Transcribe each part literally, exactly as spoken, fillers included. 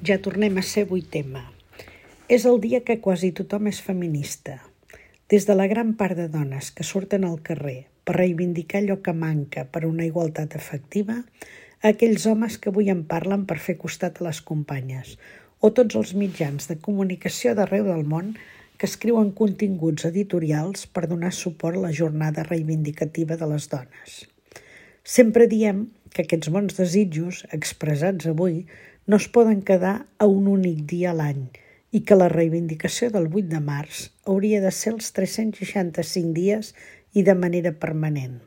Ja tornem a ser avui tema. És el dia que quasi tothom és feminista. Des de la gran part de dones que surten al carrer per reivindicar allò que manca per una igualtat efectiva, a aquells homes que avui en parlen per fer costat a les companyes, o tots els mitjans de comunicació d'arreu del món que escriuen continguts editorials per donar suport a la jornada reivindicativa de les dones. Sempre diem que aquests bons desitjos, expressats avui, no es poden quedar a un únic dia a l'any i que la reivindicació del vuit de març hauria de ser els tres-cents seixanta-cinc dies i de manera permanent.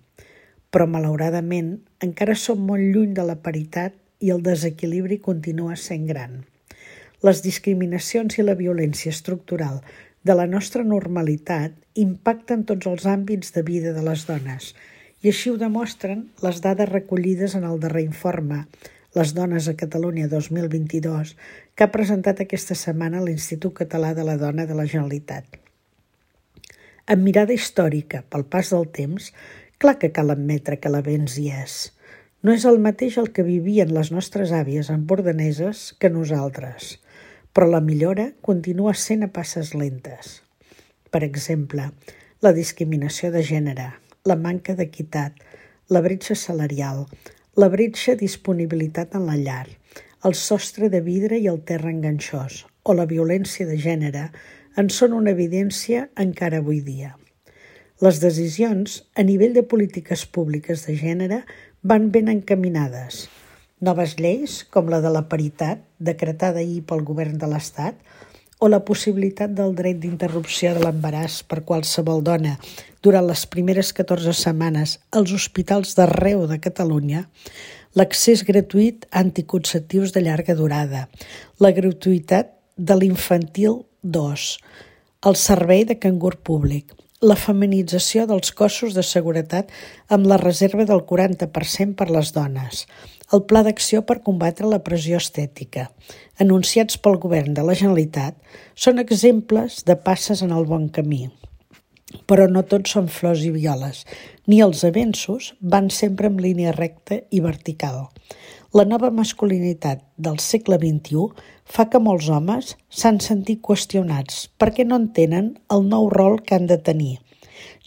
Però, malauradament, encara som molt lluny de la paritat i el desequilibri continua sent gran. Les discriminacions i la violència estructural de la nostra normalitat impacten tots els àmbits de vida de les dones i així ho demostren les dades recollides en el darrer informe Les dones a Catalunya dos mil vint-i-dos que ha presentat aquesta setmana l'Institut Català de la Dona de la Generalitat. Amb mirada històrica, pel pas del temps, clar que cal admetre que l'avenç hi és. No és el mateix el que vivien les nostres àvies empordaneses que nosaltres, però la millora continua sent a passes lentes. Per exemple, la discriminació de gènere, la manca d'equitat, la bretxa salarial, la bretxa disponibilitat en la llar, el sostre de vidre i el terra enganxós o la violència de gènere en són una evidència encara avui dia. Les decisions a nivell de polítiques públiques de gènere van ben encaminades. Noves lleis, com la de la paritat, decretada ahir pel govern de l'Estat, o la possibilitat del dret d'interrupció de l'embaràs per qualsevol dona durant les primeres catorze setmanes als hospitals d'arreu de Catalunya, l'accés gratuït a anticonceptius de llarga durada, la gratuïtat de l'infantil dos, el servei de cangur públic, la feminització dels cossos de seguretat amb la reserva del quaranta per cent per les dones, el Pla d'Acció per combatre la pressió estètica, anunciats pel Govern de la Generalitat, són exemples de passes en el bon camí. Però no tots són flors i violes, ni els avenços van sempre en línia recta i vertical. La nova masculinitat del segle vint-i-u fa que molts homes s'han sentit qüestionats perquè no entenen el nou rol que han de tenir.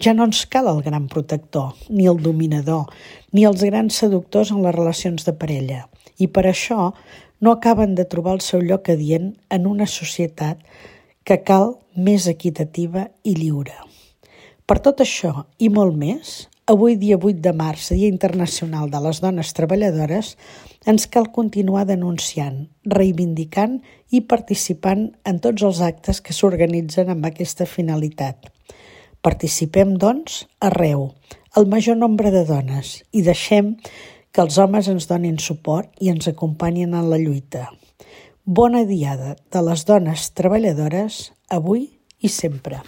Ja no ens cal el gran protector, ni el dominador, ni els grans seductors en les relacions de parella. I per això no acaben de trobar el seu lloc adient en una societat que cal més equitativa i lliure. Per tot això i molt més, avui dia vuit de març, Dia Internacional de les Dones Treballadores, ens cal continuar denunciant, reivindicant i participant en tots els actes que s'organitzen amb aquesta finalitat. Participem, doncs, arreu, el major nombre de dones, i deixem que els homes ens donin suport i ens acompanyin en la lluita. Bona Diada de les Dones Treballadores, avui i sempre.